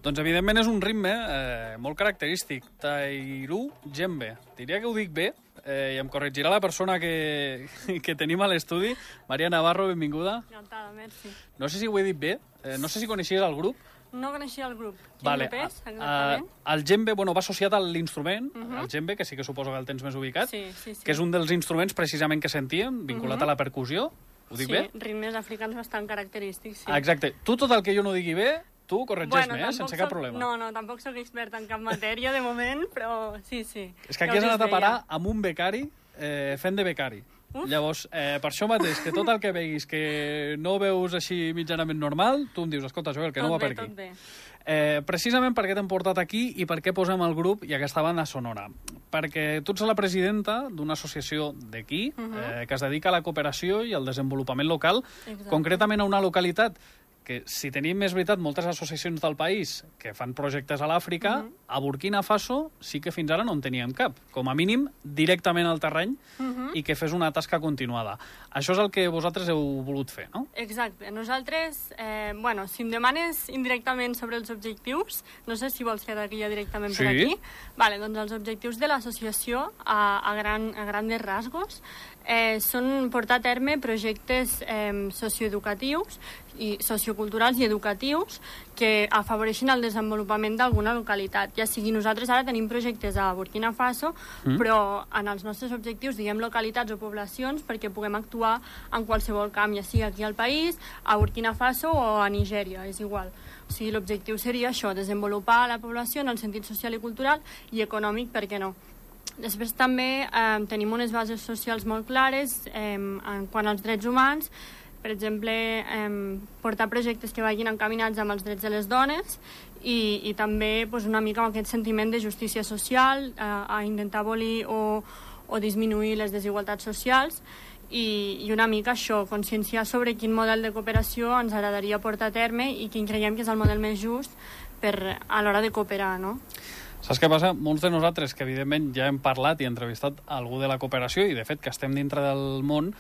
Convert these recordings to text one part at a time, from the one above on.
Doncs, evidentment, és un ritme molt característic. Tairu Djembe. Diria que ho dic bé, i em corregirà la persona que tenim a l'estudi. Maria Navarro, benvinguda. Encantada, merci. No sé si ho he dit bé, no sé si coneixies el grup. No coneixia el grup. Quin Vale. grup és, exactament? El djembe, va associat a l'instrument, el djembe, que sí que suposo que el tens més ubicat, Sí. que és un dels instruments precisament que sentíem, vinculat a la percussió. Ho dic bé? Sí, ritmes africans bastant característics, sí. Exacte. Tu, tot el que jo no digui bé, tu corregeix-me, sense cap problema. No, tampoc soc expert en cap matèria de moment, però sí. És que aquí has anat a parar amb un becari fent de becari. Llavors, per això mateix, que tot el que veguis que no veus així mitjanament normal, tu em dius, escolta, Joel, que no va per aquí. Tot bé. Precisament per què t'hem portat aquí i per què posem el grup i aquesta banda sonora. Perquè tu ets la presidenta d'una associació d'aquí que es dedica a la cooperació i al desenvolupament local, concretament a una localitat que, si tenim més veritat moltes associacions del país que fan projectes a l'Àfrica, a Burkina Faso sí que fins ara no en teníem cap, com a mínim directament al terreny i que fes una tasca continuada. Això és el que vosaltres heu volut fer, no? Exacte. Nosaltres, si em demanes indirectament sobre els objectius, no sé si vols quedar aquí ja directament per aquí. Vale, doncs els objectius de l'associació a grandes rasgos són portar a terme projectes socioeducatius i socioculturals i educatius que afavoreixin el desenvolupament d'alguna localitat. Ja sigui, nosaltres ara tenim projectes a Burkina Faso, però en els nostres objectius diguem localitats o poblacions perquè puguem actuar en qualsevol camp, ja sigui aquí al país, a Burkina Faso o a Nigèria, és igual. O sigui, l'objectiu seria això, desenvolupar la població en el sentit social i cultural i econòmic, per què no? Després també tenim unes bases socials molt clares quant als drets humans, per exemple, portar projectes que vagin encaminats amb els drets de les dones i també una mica amb aquest sentiment de justícia social, a intentar abolir o disminuir les desigualtats socials i una mica això, conscienciar sobre quin model de cooperació ens agradaria portar a terme i quin creiem que és el model més just a l'hora de cooperar, no? Saps què passa? Molts de nosaltres, que evidentment ja hem parlat i entrevistat algú de la cooperació i de fet que estem dintre del món,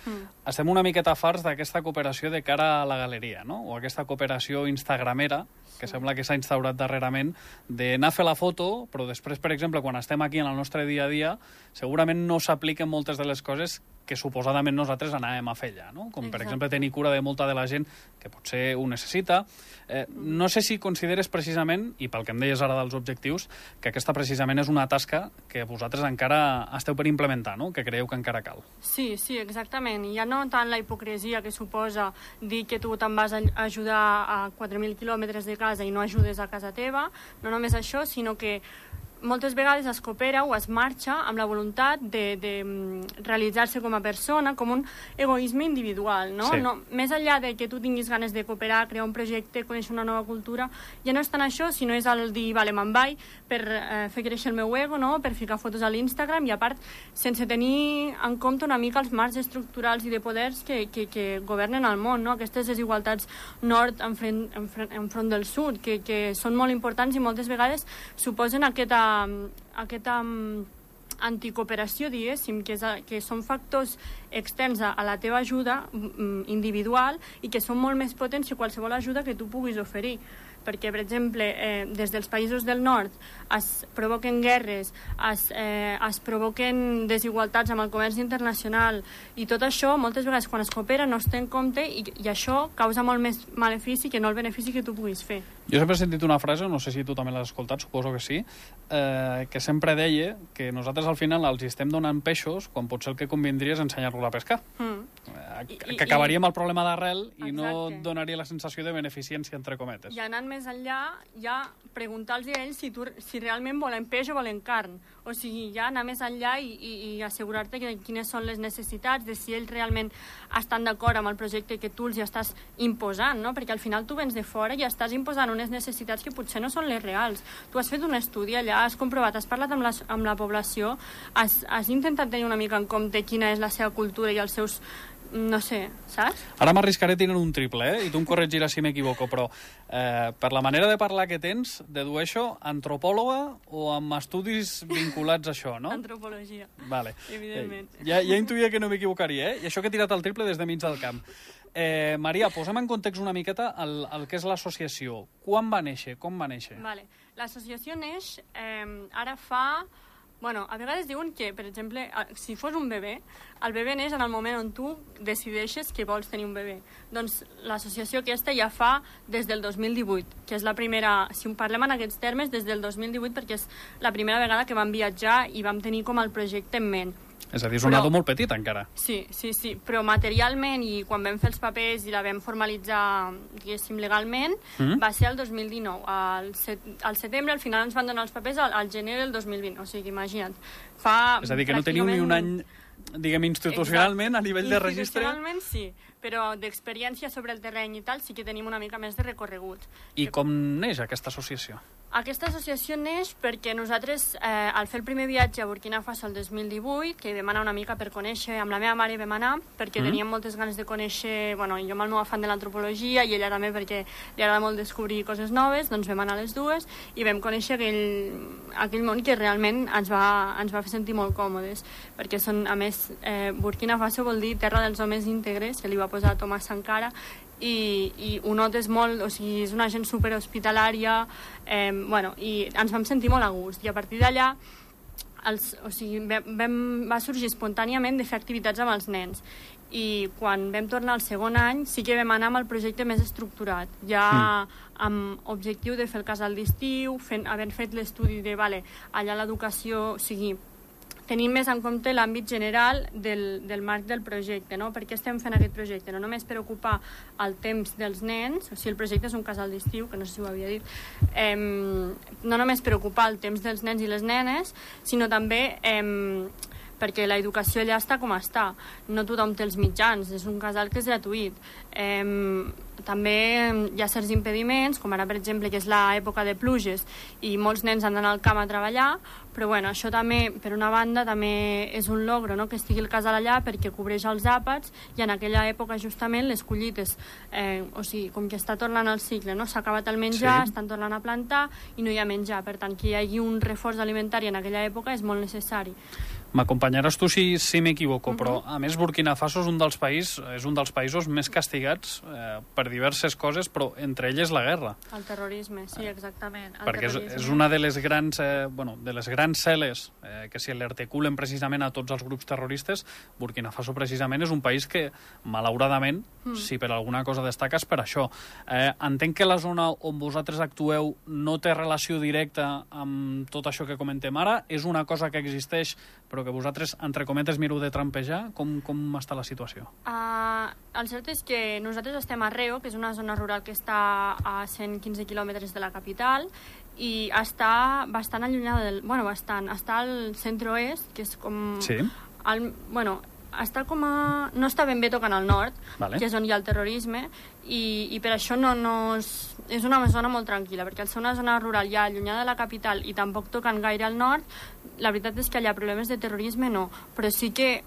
estem una miqueta farts d'aquesta cooperació de cara a la galeria, no? O aquesta cooperació instagramera, que sembla que s'ha instaurat darrerament, d'anar a fer la foto, però després, per exemple, quan estem aquí en el nostre dia a dia, segurament no s'apliquen moltes de les coses que suposadament nosaltres anàvem a fer allà, no? Com, per exemple, tenir cura de molta de la gent que potser ho necessita. No sé si consideres precisament, i pel que em deies ara dels objectius, que aquesta precisament és una tasca que vosaltres encara esteu per implementar, no? Que creieu que encara cal. Sí, exactament. I ja no tant la hipocresia que suposa dir que tu te'n vas a ajudar a 4.000 quilòmetres de casa i no ajudes a casa teva, no només això, sinó que moltes vegades es coopera o es marxa amb la voluntat de realitzar-se com a persona, com un egoisme individual, no? Sí. Més enllà de que tu tinguis ganes de cooperar, crear un projecte, conèixer una nova cultura, ja no és tant això, sinó és el dir, vale, me'n vaig per fer créixer el meu ego, no? Per ficar fotos a l'Instagram i, a part, sense tenir en compte una mica els marcs estructurals i de poders que governen el món, no? Aquestes desigualtats nord enfront del sud, que són molt importants i moltes vegades suposen aquesta anticooperació, diguéssim, que són factors externs a la teva ajuda individual i que són molt més potents que qualsevol ajuda que tu puguis oferir. Perquè, per exemple, des dels països del nord es provoquen guerres, es provoquen desigualtats amb el comerç internacional i tot això, moltes vegades, quan es coopera, no es té en compte i això causa molt més malefici que no el benefici que tu puguis fer. Jo sempre he sentit una frase, no sé si tu també l'has escoltat, suposo que sí, que sempre deia que nosaltres al final els estem donant peixos quan potser el que convindria és ensenyar-los a pescar. Que acabaríem el problema d'arrel i no donaria la sensació de beneficència, entre cometes. I anant més enllà, ja preguntar-los a ells si realment volen peix o volen carn. O sigui, ja anar més enllà i assegurar-te que quines són les necessitats, de si ells realment estan d'acord amb el projecte que tu els estàs imposant, no? Perquè al final tu vens de fora i estàs imposant unes necessitats que potser no són les reals. Tu has fet un estudi allà, has comprovat, has parlat amb la població, has intentat tenir una mica en compte quina és la seva cultura i els seus no sé, saps? Ara m'arriscaré a tenir un triple, i tu em corregiràs si m'equivoco, però per la manera de parlar que tens, dedueixo antropòloga o amb estudis vinculats a això, no? Antropologia, vale. Evidentment. Ja intuïa que no m'equivocaria, I això que he tirat el triple des de mig del camp. Maria, posa'm en context una miqueta el que és l'associació. Quan va néixer? Com va néixer? Vale. L'associació neix ara fa... Bueno, a vegades diuen que, per exemple, si fos un bebè, el bebè neix en el moment on tu decideixes que vols tenir un bebè. Doncs l'associació aquesta ja fa des del 2018, que és la primera, si en parlem en aquests termes, des del 2018, perquè és la primera vegada que vam viatjar i vam tenir com el projecte en ment. És a dir, és un nado molt petit encara. Sí, però materialment i quan vam fer els papers i la vam formalitzar, diguéssim, legalment, va ser el 2019. Al setembre, al final ens van donar els papers al gener del 2020, o sigui, imagina't. És a dir, que no teniu ni un any, diguem, institucionalment, a nivell de registre. Institucionalment sí, però d'experiència sobre el terreny i tal sí que tenim una mica més de recorregut. I com neix aquesta associació? Aquesta associació neix perquè nosaltres, al fer el primer viatge a Burkina Faso el 2018, que vam anar una mica per conèixer, amb la meva mare vam anar, perquè teníem moltes ganes de conèixer, bueno, jo amb el meu afany de l'antropologia i ella també perquè li agrada molt descobrir coses noves, doncs vam anar les dues i vam conèixer aquell món que realment ens va fer sentir molt còmodes, perquè són, a més, Burkina Faso vol dir terra dels homes íntegres, que li va posar Thomas Sankara, i ho notes molt, o sigui, és una gent superhospitalària, i ens vam sentir molt a gust, i a partir d'allà va sorgir espontàniament de fer activitats amb els nens, i quan vam tornar al segon any sí que vam anar amb el projecte més estructurat, ja amb objectiu de fer el casal d'estiu, havent fet l'estudi de, allà l'educació, o sigui, tenint més en compte l'àmbit general del marc del projecte, no? Per què estem fent aquest projecte? No només per ocupar el temps dels nens, o sigui, el projecte és un casal d'estiu, que no sé si ho havia dit, no només per ocupar el temps dels nens i les nenes, sinó també perquè l'educació allà està com està. No tothom té els mitjans, és un casal que és gratuït. També hi ha certs impediments, com ara, per exemple, que és l'època de pluges i molts nens han d'anar al camp a treballar, però bueno, això també, per una banda, també és un logro, no?, que estigui el casal allà perquè cobreix els àpats i en aquella època justament les collites, o sigui, com que està tornant el cicle, no?, s'ha acabat el menjar, estan tornant a plantar i no hi ha menjar, per tant que hi hagi un reforç alimentari en aquella època és molt necessari. M'acompanyaràs tu si m'equivoco, però a més Burkina Faso és un dels països més castigats per diverses coses, però entre elles la guerra. El terrorisme, sí, exactament. Perquè és una de les grans celes que se li articulen precisament a tots els grups terroristes. Burkina Faso precisament és un país que, malauradament, si per alguna cosa destaca és per això. Entenc que la zona on vosaltres actueu no té relació directa amb tot això que comentem ara, és una cosa que existeix però que vosaltres, entre cometes, mireu de trampejar. Com està la situació? El cert és que nosaltres estem a Reo, que és una zona rural que està a 115 quilòmetres de la capital, i està bastant allunyada està al centre-oest, que és com... Sí. Està com a... no està ben bé tocant al nord, que és on hi ha el terrorisme, i per això és una zona molt tranquil·la, perquè al ser una zona rural ja allunyada de la capital i tampoc tocant gaire al nord, la veritat és que allà problemes de terrorisme no, però sí que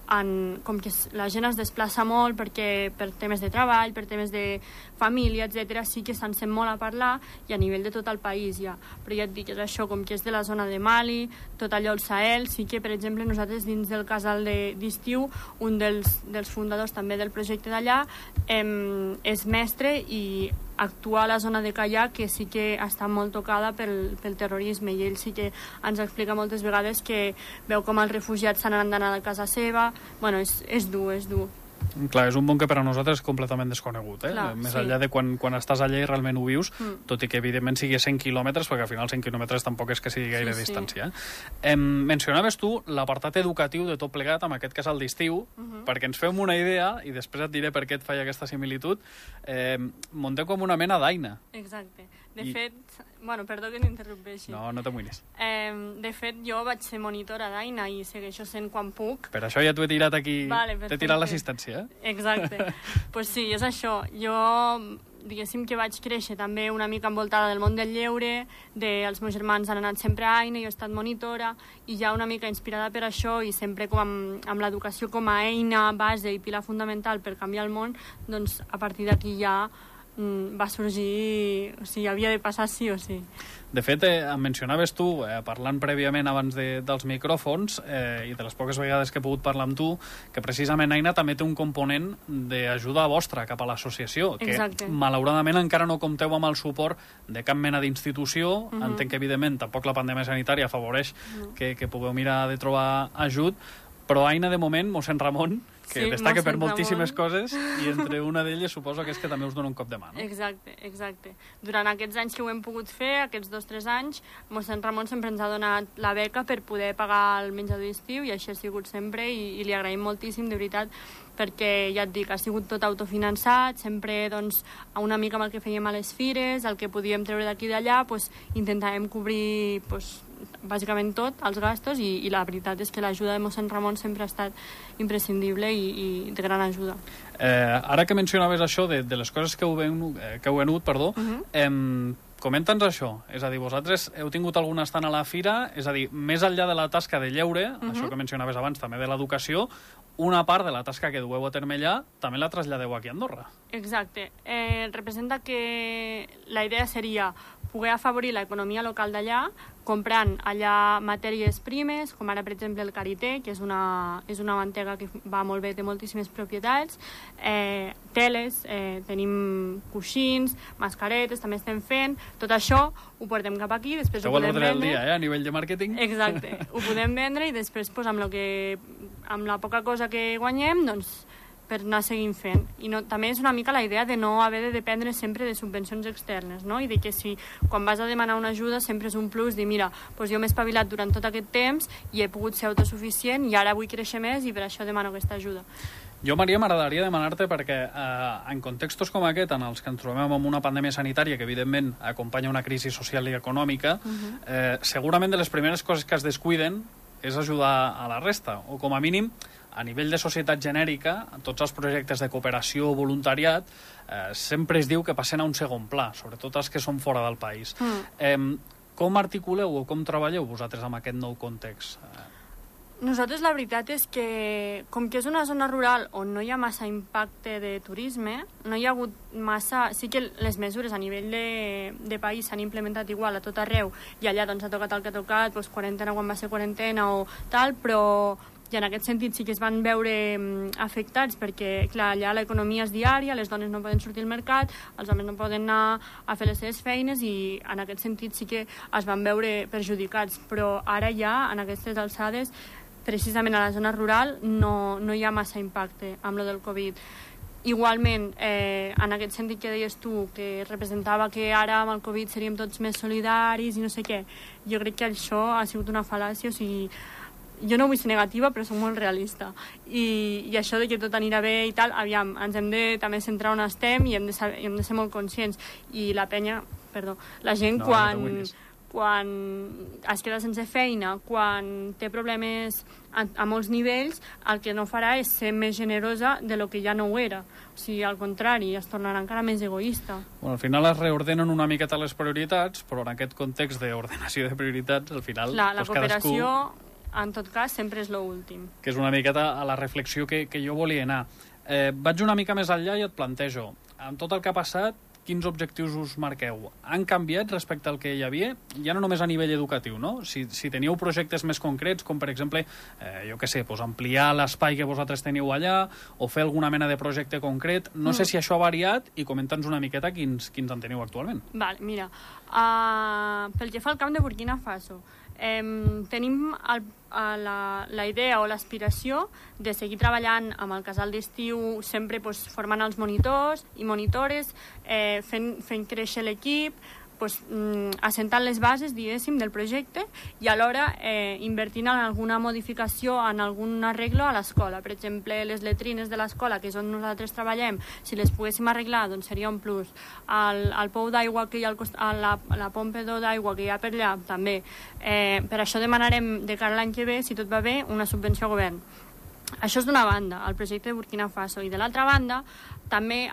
com que la gent es desplaça molt perquè per temes de treball, per temes de família, etc, sí que se'n sent molt a parlar i a nivell de tot el país ja, però ja et dic, és això, com que és de la zona de Mali, tot allò el Sahel, sí que per exemple nosaltres dins del casal d'estiu, un dels fundadors també del projecte d'allà és mestre i actua a la zona de Callà, que sí que està molt tocada pel terrorisme, i ell sí que ens explica moltes vegades que veu com els refugiats se n'han d'anar a casa seva. Bueno, és dur. Clar, és un món que per a nosaltres és completament desconegut, Clar, més enllà de quan estàs allà i realment ho vius, tot i que evidentment sigui 100 quilòmetres, perquè al final 100 quilòmetres tampoc és que sigui gaire distància. Mencionaves tu l'apartat educatiu de tot plegat amb aquest casal d'estiu, perquè ens fem una idea, i després et diré per què et faig aquesta similitud, munteu com una mena d'aina. Exacte. De fet, perdó que n'interrompeixi. No t'amoïnis. De fet, jo vaig ser monitora d'Aina i segueixo sent quan puc. Per això ja t'ho he tirat aquí, t'he tirat l'assistència. Exacte. Pues sí, és això. Jo diguéssim que vaig créixer també una mica envoltada del món del lleure, els meus germans han anat sempre a Aina, jo he estat monitora, i ja una mica inspirada per això i sempre com amb l'educació com a eina, base i pila fundamental per canviar el món, doncs a partir d'aquí ja va sorgir, o sigui, havia de passar sí o sí. De fet, em mencionaves tu, parlant prèviament abans dels micròfons, i de les poques vegades que he pogut parlar amb tu, que precisament Aina també té un component d'ajuda vostra cap a l'associació, que malauradament encara no compteu amb el suport de cap mena d'institució. Entenc que, evidentment, tampoc la pandèmia sanitària afavoreix que pugueu mirar de trobar ajut, però Aina, de moment, mossèn Ramon, que destaca per moltíssimes coses, i entre una d'elles suposo que és que també us dona un cop de mà, no? Exacte. Durant aquests anys que ho hem pogut fer, aquests 2 o 3 anys, mossèn Ramon sempre ens ha donat la beca per poder pagar el menjador d'estiu, i així ha sigut sempre, i li agraïm moltíssim, de veritat, perquè, ja et dic, ha sigut tot autofinançat, sempre, doncs, una mica amb el que fèiem a les fires, el que podíem treure d'aquí i d'allà, doncs, intentàvem cobrir, doncs, bàsicament tot, els gastos, i la veritat és que l'ajuda de mossèn Ramon sempre ha estat imprescindible i de gran ajuda. Ara que mencionaves això de les coses que heu venut, comenta'ns això, és a dir, vosaltres heu tingut algun estant a la fira, és a dir, més enllà de la tasca de lleure, això que mencionaves abans també de l'educació, una part de la tasca que dueu a terme allà també la traslladeu aquí a Andorra. Exacte. Representa que la idea seria poder afavorir l'economia local d'allà, comprant allà matèries primes, com ara, per exemple, el karité, que és una mantega que va molt bé, té moltíssimes propietats, teles, tenim coixins, mascaretes, també estem fent. Tot això ho portem cap aquí, després ho podem vendre. Del dia, a nivell de màrqueting. Exacte. Ho podem vendre i després, amb la poca cosa que guanyem, doncs, per anar seguint fent. I també és una mica la idea de no haver de dependre sempre de subvencions externes, no? I de que si quan vas a demanar una ajuda sempre és un plus, dir, mira, doncs jo m'he espavilat durant tot aquest temps i he pogut ser autosuficient i ara vull créixer més i per això demano aquesta ajuda. Jo, Maria, m'agradaria demanar-te perquè en contextos com aquest, en els que ens trobem amb una pandèmia sanitària que evidentment acompanya una crisi social i econòmica, segurament de les primeres coses que es descuiden és ajudar a la resta, o com a mínim a nivell de societat genèrica, tots els projectes de cooperació o voluntariat sempre es diu que passen a un segon pla, sobretot els que són fora del país. Com articuleu o com treballeu vosaltres amb aquest nou context? Nosaltres la veritat és que, com que és una zona rural on no hi ha massa impacte de turisme, no hi ha hagut massa... Sí que les mesures a nivell de país s'han implementat igual a tot arreu, i allà doncs ha tocat el que ha tocat, doncs quarantena quan va ser quarantena o tal, però... I en aquest sentit sí que es van veure afectats perquè, clar, allà l'economia és diària, les dones no poden sortir al mercat, els homes no poden anar a fer les seves feines i en aquest sentit sí que es van veure perjudicats. Però ara ja, en aquestes alçades, precisament a la zona rural no hi ha massa impacte amb lo del Covid. Igualment, en aquest sentit que deies tu, que representava que ara amb el Covid seríem tots més solidaris i no sé què, jo crec que això ha sigut una fal·làcia, o sigui, jo no vull ser negativa, però soc molt realista. I això de que tot anirà bé i tal, aviam, ens hem de també centrar on estem i hem de ser molt conscients. I la penya, la gent quan es queda sense feina, quan té problemes a molts nivells, el que no farà és ser més generosa de lo que ja no ho era. O sigui, al contrari, es tornarà encara més egoista. Bueno, al final es reordenen una miqueta les prioritats, però en aquest context d'ordenació de prioritats, al final... La cooperació... En tot cas, sempre és l'últim. Que és una miqueta a la reflexió que jo volia anar. Vaig una mica més enllà i et plantejo, amb tot el que ha passat, quins objectius us marqueu? Han canviat respecte al que hi havia? Ja no només a nivell educatiu, no? Si teníeu projectes més concrets, com per exemple, jo què sé, ampliar l'espai que vosaltres teniu allà, o fer alguna mena de projecte concret, no sé si això ha variat, i comenta'ns una miqueta quins en teniu actualment. Vale, mira, pel que fa al camp de Burkina Faso, tenim la idea o l'aspiració de seguir treballant amb el casal d'estiu, sempre formant els monitors i monitores, fent créixer l'equip, assentant les bases, diguéssim, del projecte i alhora invertint en alguna modificació, en algun arreglo a l'escola. Per exemple, les letrines de l'escola, que és on nosaltres treballem, si les poguéssim arreglar, doncs seria un plus. El pou d'aigua que hi ha la pompa d'aigua que hi ha per allà, també. Per això demanarem de cara a l'any que ve, si tot va bé, una subvenció al govern. Això és d'una banda, el projecte de Burkina Faso. I de l'altra banda, també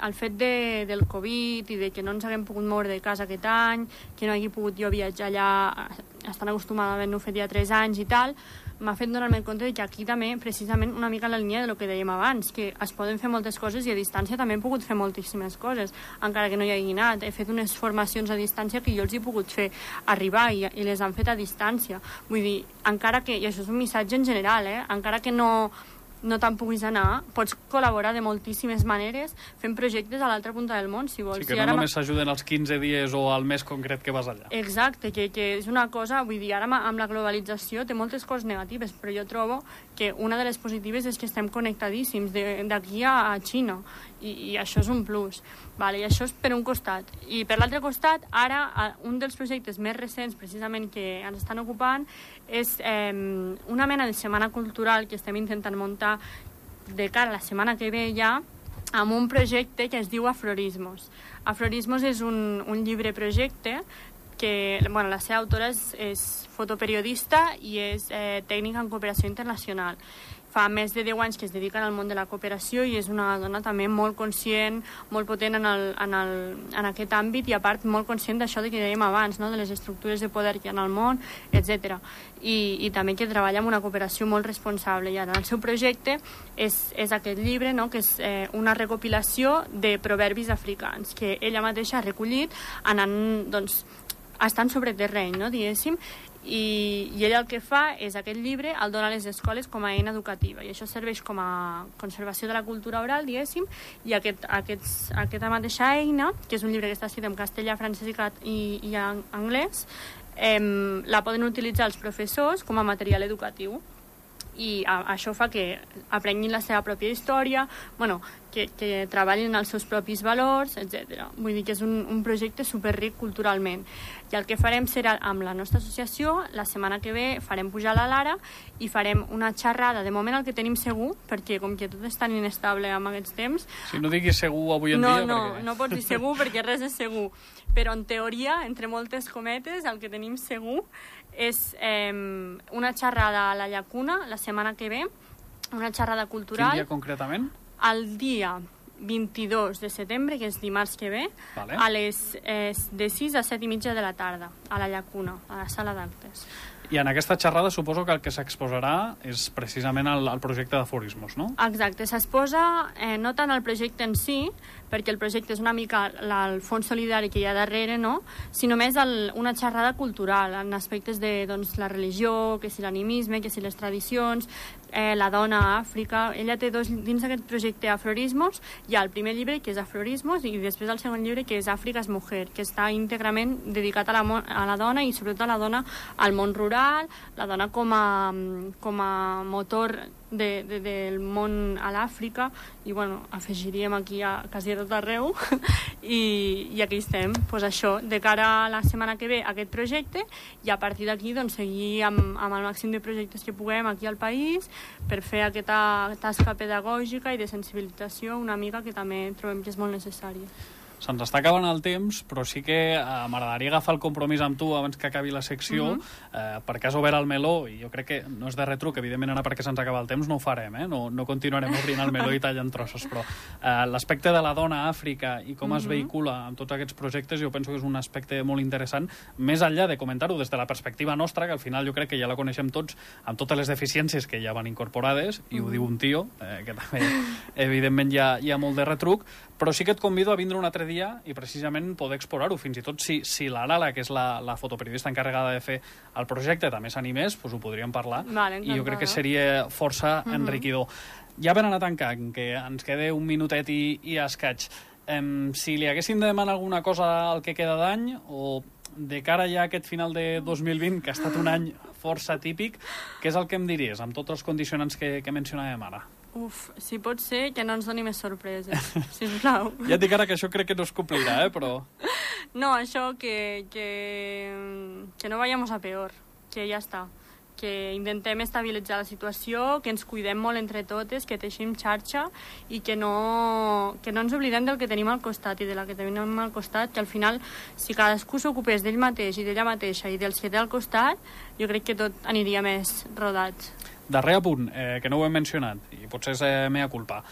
el fet del Covid i de que no ens haguem pogut moure de casa aquest any, que no hagi pogut jo viatjar allà, estan acostumada a haver-ho fet ja 3 anys i tal, m'ha fet donar-me compte que aquí també, precisament, una mica en la línia del que dèiem abans, que es poden fer moltes coses i a distància també he pogut fer moltíssimes coses, encara que no hi hagi anat. He fet unes formacions a distància que jo els he pogut fer arribar i les han fet a distància. Vull dir, encara que, i això és un missatge en general, encara que no te'n puguis anar, pots col·laborar de moltíssimes maneres fent projectes a l'altra punta del món, si vols. Sí, que no només s'ajuden els 15 dies o al mes concret que vas allà. Exacte, que és una cosa, vull dir, ara amb la globalització té moltes coses negatives, però jo trobo que una de les positives és que estem connectadíssims d'aquí a Xina, i això és un plus. Vale, i això és per un costat. I per l'altre costat, ara, un dels projectes més recents, precisament, que ens estan ocupant, és una mena de setmana cultural que estem intentant muntar de cara a la setmana que ve ja, amb un projecte que es diu Aflorismos. Aflorismos és un llibre projecte que, bueno, la seva autora és fotoperiodista i és tècnica en cooperació internacional. Fa més de 10 anys que es dedica al món de la cooperació i és una dona també molt conscient, molt potent en aquest àmbit i a part molt conscient d'això que dèiem abans, no? De les estructures de poder que hi ha al món, etc. I també que treballa amb una cooperació molt responsable. I ara el seu projecte és aquest llibre, no? Que és una recopilació de proverbis africans que ella mateixa ha recollit anant, doncs, estant sobre terreny, no? Diguéssim, i ella el que fa és aquest llibre el dona a les escoles com a eina educativa i això serveix com a conservació de la cultura oral, diguéssim, i aquesta mateixa eina, que és un llibre que està escrit en castellà, francès i anglès, la poden utilitzar els professors com a material educatiu i això fa que aprenguin la seva pròpia història, bueno, que treballin els seus propis valors, etc. Vull dir que és un projecte superric culturalment. I el que farem serà, amb la nostra associació, la setmana que ve farem pujar la Lara i farem una xerrada, de moment el que tenim segur, perquè com que tot és tan inestable amb aquests temps... Si no diguis segur avui en dia... No pots dir segur perquè res és segur. Però en teoria, entre moltes cometes, el que tenim segur és una xerrada a la Llacuna la setmana que ve, una xerrada cultural. Quin dia concretament? El dia 22 de setembre, que és dimarts que ve, vale. De 6 a 7 i mitja de la tarda, a la Llacuna, a la sala d'actes. I en aquesta xerrada suposo que el que s'exposarà és precisament el projecte d'Aflorismos, no? Exacte, s'exposa no tant el projecte en si, perquè el projecte és una mica el fons solidari que hi ha darrere, no? Sinó més una xerrada cultural en aspectes de la religió, que si l'animisme, que si les tradicions, la dona a Àfrica. Ella té dins d'aquest projecte Aflorismos, hi ha el primer llibre que és Aflorismos i després el segon llibre que és Àfrica és mujer, que està íntegrament dedicat a la dona i sobretot a la dona al món rural, la dona com a motor del món a l'Àfrica i bueno, afegiríem aquí quasi a tot arreu i aquí estem, doncs això, de cara a la setmana que ve aquest projecte i a partir d'aquí doncs, seguir amb el màxim de projectes que puguem aquí al país per fer aquesta tasca pedagògica i de sensibilització una mica que també trobem que és molt necessària. Se'ns està acabant el temps, però sí que m'agradaria agafar el compromís amb tu abans que acabi la secció, perquè has obert el meló, i jo crec que no és de retruc, evidentment ara perquè se'ns acaba el temps no ho farem, no continuarem obrint el meló i tallant trossos, però l'aspecte de la dona a Àfrica i com es vehicula amb tots aquests projectes jo penso que és un aspecte molt interessant, més enllà de comentar-ho des de la perspectiva nostra, que al final jo crec que ja la coneixem tots, amb totes les deficiències que ja van incorporades, i ho diu un tio, que també evidentment hi ha molt de retruc, però sí que et convido a vindre un altre dia i precisament poder explorar-ho, fins i tot si la Lala, que és la fotoperiodista encarregada de fer el projecte, també s'animés, doncs ho podríem parlar, i jo crec que seria força enriquidor. Ja per anar tancant, que ens queda un minutet i escaig, si li haguéssim de demanar alguna cosa al que queda d'any, o de cara ja a aquest final de 2020, que ha estat un any força típic, què és el que em diries, amb tots els condicionants que mencionàvem ara? Si pot ser, que no ens doni més sorpreses, sisplau. Ja et dic ara que això crec que no es complirà, però... No, això que no vayamos a peor, que ja està. Que intentem estabilitzar la situació, que ens cuidem molt entre totes, que teixim xarxa i que no ens oblidem del que tenim al costat i de la que tenim al costat, que al final, si cadascú s'ocupés d'ell mateix i d'ella mateixa i dels que té al costat, jo crec que tot aniria més rodat. Darrer apunt, que no ho hem mencionat, i potser és mea culpa.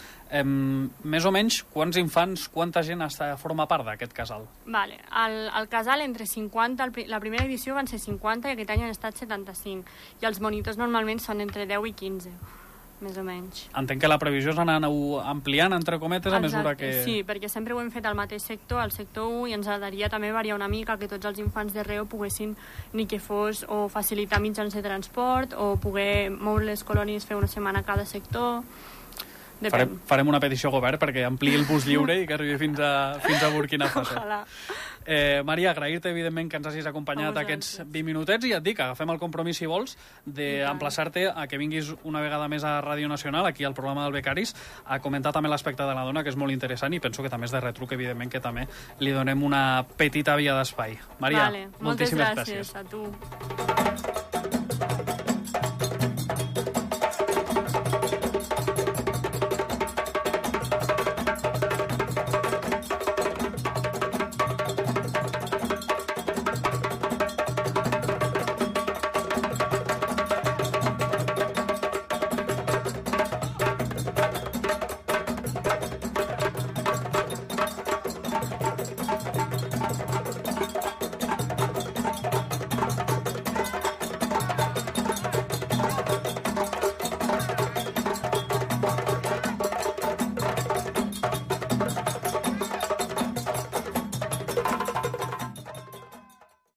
Més o menys, quants infants, quanta gent forma part d'aquest casal? Vale. El casal, entre 50, la primera edició van ser 50 i aquest any han estat 75. I els monitors normalment són entre 10 i 15, més o menys. Entenc que la previsió és anar ampliant, entre cometes, a mesura que... Sí, perquè sempre ho hem fet al mateix sector, al sector 1, i ens agradaria també variar una mica, que tots els infants de Reo poguessin, ni que fos, o facilitar mitjans de transport, o poder moure les colònies, fer una setmana a cada sector... Farem una petició al govern perquè ampliï el bus lliure i que arribi fins a Burkina Faso. Maria, agrair-te, evidentment, que ens hagis acompanyat aquests 20 minutets i et dic, agafem el compromís, si vols, d'emplaçar-te a que vinguis una vegada més a Ràdio Nacional, aquí al programa del Becaris, a comentar també l'aspecte de la dona, que és molt interessant, i penso que també és de retruc, evidentment, que també li donem una petita via d'espai. Maria, moltíssimes gràcies. Moltes gràcies a tu.